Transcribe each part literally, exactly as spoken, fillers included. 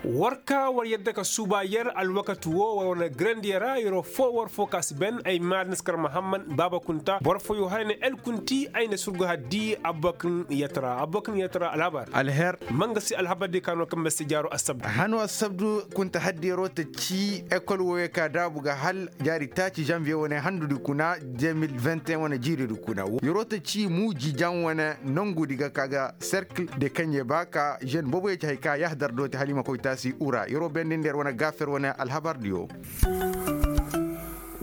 War ka war yadda ka suuba yer alwakati wo war wane garandi yara yeroo foo war foo ka si ben ay maadin si kar mahamman baaba kunta boro fooyoo haray na el kunti ay na surgu haddi abubakar yatara abubakar yatara alhabar. Alher. Manga si alhabar di kaanoo kaŋ ma si jaaroo assabdu. Hanoo assabdu kunta haddi yeroo ta cii ekol wooyoo ka daabu ga hal jaari taaci zanviye wane handudi kuna de mil vingt et un wane jiiridi kuna yeroo ta cii muuji jaŋ wane nongudi ga ka ga serkil de kaŋ ye ba ka zen booboyoo ci hari ka yahdar dooti hala i ma koy taasi ura yeroo bendindi yer wane gaafer wane alhabardiyo.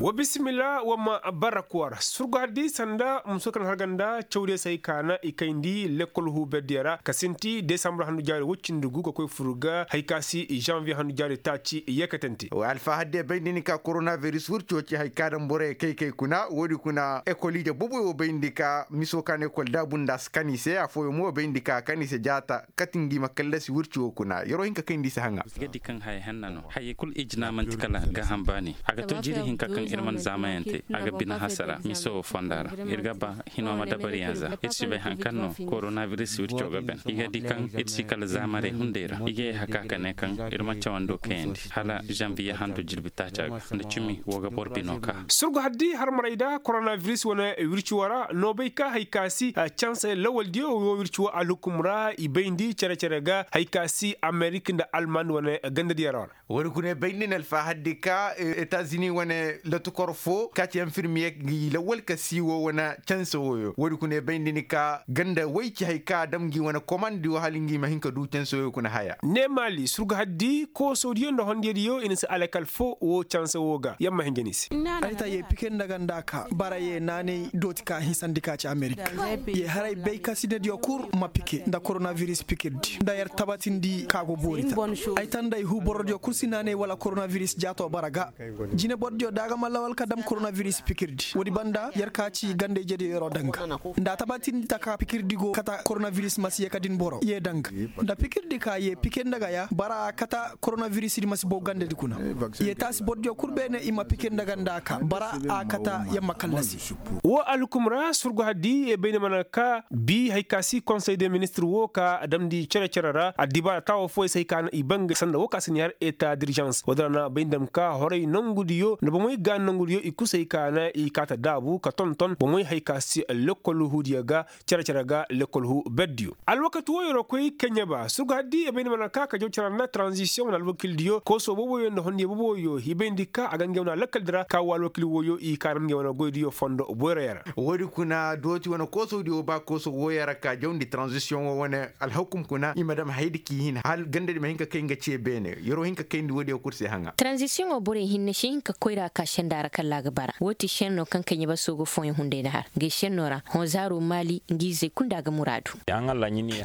Wa bisimila wa ma bara kuwar surgu haddi sanda muso kaŋ har ganda cawdiyo se hay ka na i kayndi lekkol huuberdiyo ra ka sinti desambur handu jaari woy cindi gu ka koy fur ga hay ka si zanviye handu jaari taaci yeekatante. Alfahadde bay nda ni ka koronaviris wirco ci hay ka daŋ borey kay kay kuna woodi kuna ekoliije boboy wo bay nda ni ka miso ka na ekol daabu nda a si kan i se afooyaŋ mo bay nda ni ka a kan i se jaata kati ngi ma kallasi wirco kuna yeroo hin ka kay nda i si haŋa. Ga di kaŋ haya henna no hayey kul ijina manti kala gaaham baani a ga to jiiri hinka kaŋ ir man zaamayante a ga bine hasara miso wo fonda ra ir ga ba hino ma dabariyaŋ za ir si bay haŋ kaŋ no koronaviris wirco ga ben i ga di kaŋ ir si kala zaamarey hunday ra i ga ye haka ka ne kaŋ ir ma cawando kayandi hala zanviye handu jirbi taaca ga nda cimi wo ga bor bino ka. Surgu haddi harmaray da koronaviris wane wirci wo ra no bay ka hay ka si canse lawaldiyo wo wirci wo alhukum ra i bayndi cere-cere ga hay ka si amerik nda almand wane gandadiyo ra wo ra. Woodi kuna i bay nda ni alfahaddi ka etazini wane lotukor fo ka ci enfirmiye ngi lawal ka si wo wane canse woyo woodi kuna i bay nda ni ka ganda woy ci hay ka a dam ngi wane komandi wo hala ngi ma hin ka du canse woyo kuna haya. Ne maali surgu haddi koosodiyo nda hondiyadiyo i na si alakal fo wo canse wo ga yamma hinja ni se. Ay ta ye pike nda ganda ka bara ye naanay dooti ka hinsandi ka ci amerik ye haray bay ka sinediyo kul ma pike nda koronaviris pikirdi nda yer tabatindi ka go boori ta. Ay ta nda ay hu borodiyo kul si naanay wala koronaviris jaato bara ga jine borodiyo da a ga ma lawal ka dam koronaviris pikirdi woodi banda yer ka ci ganda ijediyo yeroo daŋ ga nda a tabatindi taka pikirdi go kata koronaviris ma si ye ka din boro ye daŋ ga nda pikirdi ka ye pike nda ga ya bara a kata koronavirisdi ma si bow gandadi kuna. Ye taasi borodiyo kul beene i ma pike nda ganda ka bara a kata yamma kallasi. Wo alhukum ra surgu haddi ye bayni mana ka bi hay ka si konsey de ministir wo ka a damndi cere-cere ra addibaara taawo fooyey se hay ka na i bangay sanda wo ka si ni har eta dirizans woodin ra na bay ndam ka horay nongudiyo nda bomey ga nongudiyo i kusay ka na i kaata daabu ka tonton bomey hay ka si lekkol huudiyo ga cere-cere ga lekkol huu berdiyo. Alwakati wo yeroo koy keɲeba surgu haddi i bayndi mana ka ka jaw cere nda taranzisiyoŋ wane alwakildiyo kooso booboyo nda hondiyo booboyo i bayndi ka a ga ngey wane alakkaldi ra ka wo alwakil wooyo i kaanam ngey wane goydiyo fondo boyroyo ra. Woodi kuna dooti wane koosodiyo ba kooso wooyo ra ka jawndi taranzisiyoŋo wane alhakum kuna i ma dam haydi k'i hin hal gandadi ma hin ka kay nga ce beene yeroo hin ka kayndi woodiyo kul se haŋa. Taranzisiyoŋo borey hinne si hin ka koyra ka senda ra kalla a ga bara woo ti senno kaŋ keɲeba soogo fooyaŋ hunday na har ngey senno ra hõ zaaro maali ngi izey kul nda a ga muraadu.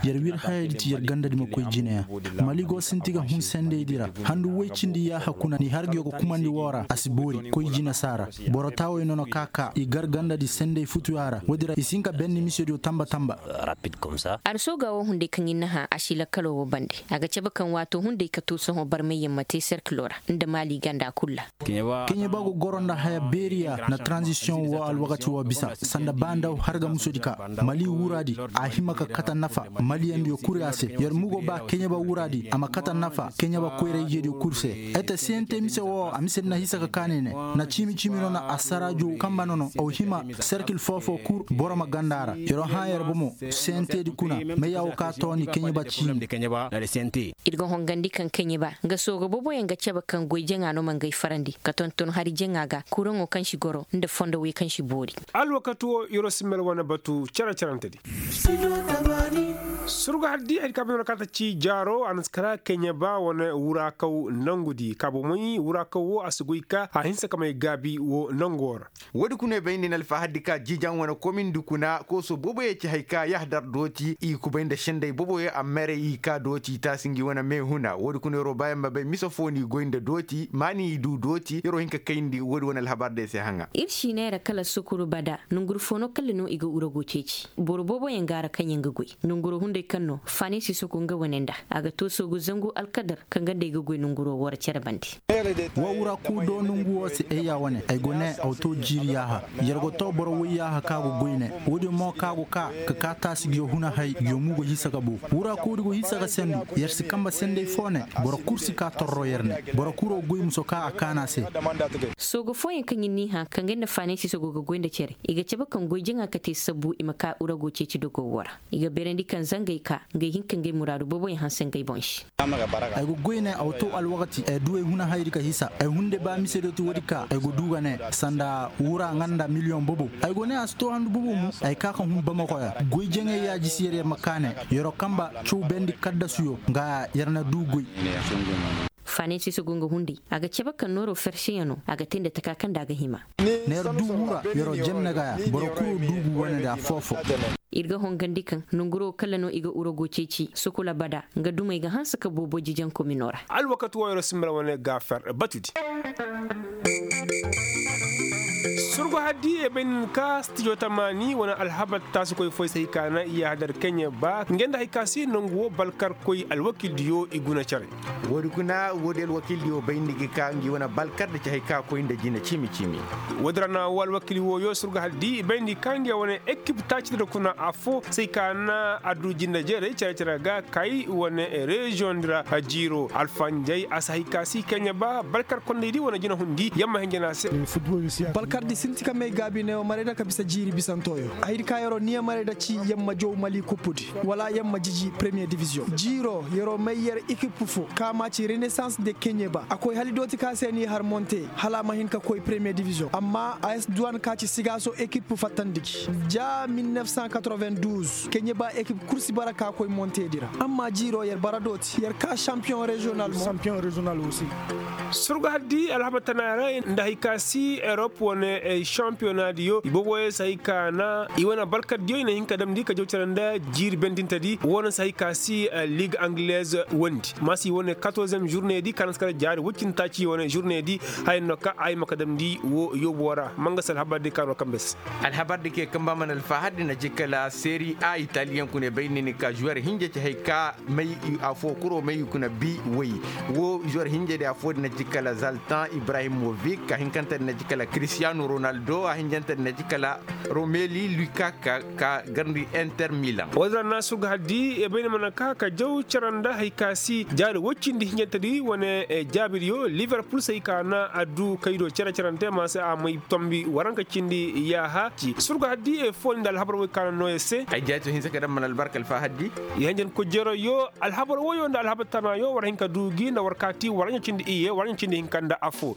Yer wir hayadi ti yer gandadi ma koy jineyaŋ. Mali go sinti ga hun sendaydi ra handu woy cindi yaaha kuna ni har ga yo ga kumandi woo ra a si boori koy jine saara. Boro taawey no na ka ka i gar gandadi senday futuya ra woodi ra i si hin ka benni misediyo tamba tamba. Arsooga woo hunday kaŋ ir na hã a si lakkaloo woo bande a ga cabe kaŋ waatoo hunday ka too sohõ barmayyaŋ ma te serkiloo ra nda maali ganda kul ra. Keɲeba go goro nda haya beeriya na taranzisiyoŋ woo alwakati woo bisa sanda ba nda harga musodi ka mali wuraadi a hima ka kata nafa maliyandiyo kul ya se yer mugo ba keɲeba wuraadi a ma kata nafa keɲeba koyra-ijediyo kul se. Ete sente mise woo a mise di na hisa ka kaanay ne na ciimi ciimi no na asaraajo kamba nono aw hima serkil foofoo kul boro ma ganda a ra yeroo hã yer bomo sentedi kuna mayya woo ka toondi keɲeba ciimi. Ir ga hongandi kaŋ keɲeba nga sooga booboyaŋ ga cabe kaŋ goy jaŋa no ma ngay farandi ka tonton hari jaŋa ga kuraŋo kaŋ si goro nda fondo wey kaŋ si boori. Alwakati wo yeroo si mel wane batu cere-cerentedi. Surga haddi hari ka bay no na kaata ci jaaro a na si kara keɲeba wane wuraakaw nangudi ka bomey wuraakaw wo a si goy ka a hinsa ka may gaabi wo nango ra. Woodi kuna i bay nda ni alfahaddi ka jiijaŋ wane komindi kuna kooso booboyey ci hay ka yahdar dooti i kubay nda sendey booboyey a meerey i ka dooti i taasi ngi wane meehuna woodi kuna yeroo baayaŋ ma bay mise foo n'i goy nda dooti maani i du dooti yeroo hin ka kayndi woodi wane alhabar day se haŋa. Ir si neera kala sukuru bada nonguru foo no kalla no i ga uragu ceeci boro booboyaŋ ga a ra kaŋ yaŋ ga goy nonguru. Day kaŋ no faanisi sogo nga wane nda a ga to soogu zangu alkadar kaŋ ga nda ay ga goy nanguro woo ra cere bande. Wa wura kuu do nongu woo se ay ya wane ay go ne awto jiiri yaaha. Yer go to boro woy yaaha ka go goy ne. Woodin mo ka go ka ka ka taasi ngiyo huna hay ngiyo mu go hisa ga bo. Wura kuu di go hisa ga sendu. Yer si kamba senday foo ne. Boro kul si ka torro yer ne. Boro kul go goy muso ka a kaana se. Soogo fooyaŋ kaŋ i n'i hã kaŋ ga nda faanay si soogo ga goy nda cere i ga cabe kaŋ goy jaŋa ka te sabbu i ma ka urago ceeci dogo woo ra. I ga beerandi kaŋ zangay ka ngey hin ka ngey muraadu booboyaŋ hanse ngey boŋ se. Ay go goy ne awto alwakati ay du ay huna hayri ka hisa ay hunde ba mise dooti woodi ka ay go du ga ne sanda wura nga nda miliyoŋ boobo. Ay go ne a si to handu boobo mo ay ka ka hun bamako ya goy jaŋay yaaji si yer yer ma ka ne. Yer'o kamba caw bendi kaddasuyo nga yer na du goy. Faanay si soogo nga hunday a ga cabe kaŋ nooro ferseyaŋo a ga te nda taka kaŋ nda a ga hima. Neer du wura yer'o jenne ga ya boro kul du gu wane nda affoo-foo. Ir ga hongandi kaŋ nanguro kala no i ga urago ceeci sukula bada nga dumey ga hanse ka boobo jijaŋ komino ra. Alwakati woo yer'o sinba ra wane gaafer batudi. Surgu haddi e bay nin ka stijo tamaani wane alhabar taasikoy fooy se hay ka na i yaahadar keɲe ba ngey nda hay ka si nangu woo balkarkoy alwakildiyo i guna cere. Woodi kuna woodi alwakildiyo bayndi ga ka ngi wane balkar da ci hay ka koy nda jina ciimi ciimi. Woodi ra na woo alwakil wooyo surgu haddi i bayndi ka ngi wane ekip taaci da kuna affoo se hay ka na a du jina jeeray cere cere ga kay wane reziyoŋ di ra. Jiiro alfanjay a si hay ka si keɲe ba balkar kondaydi wane jina hundi yamma hinjana se. Balkardi sinti ka may gaabi neewo maray da ka bisa jiiri bisantoyo. Haydi ka yer'o niya maray da ci yamma jow mali kuppudi wala yamma jiji premiye diviziyoŋ jiiro yer'o may yer ekip foo ka ma ci renesans de keɲe ba a koy hali dooti ka se n'i har monte hala a ma hin ka koy premiye diviziyoŋ amma a s duwan ka ci sigaaso ekip fattandi gi ja mil nef san katrovin duz keɲe ba ekip kul si bara ka koy monteedi ra amma jiiro yer bara dooti yer ka sampiyoŋ reziyonal mo. Surgu haddi alhabar tana ra nda hay ka si erop wane sampiyonaadiyo i booboyaŋ si hay ka na i wane balkardiyo i na hin ka damndi ka jaw cere nda jiiri bendintedi woo no si hay ka si lig anglez wondi ma si wane katorzem žurneedi ka na si kala jaari woy cindi taaci wane žurneedi. Haya no ka ay ma ka damndi woo yoobo ra ma nga si alhabar di ka no kambe se. Alhabar di ke kamba mana alfahar di na ci kala seri a italiyaŋ kuna bay ni ni ka žuwer hinja ci hay ka may afoo kuro may kuna bi woy. Woo žuwer hinja di afoo di na ci kala zaltan ibrahimovic a hinkante di na ci kala cristiano ronaldo a hinjante di na ci kala romeli lukaku ka garndi inter milan. Woo din ra na surgu haddi e bay ni mana ka ka jaw cere nda hay ka si jaari woy cindi hinjante di wane jaabidiyo liverpul se hay ka na a du kay do cere cerante ma se a may tombi waranka cindi yaaha ci surgu haddi e fooni nda alhabar woy ka na noo yer se. Ay jaato hinsa ka daŋ mana albarka alfahar di. Yer hinjan kujjeero yo alhabar woyo nda alhabar tana yo war hin ka du gi nda war kaati war ɲa cindi iyye war ɲa cindi hinka nda affoo.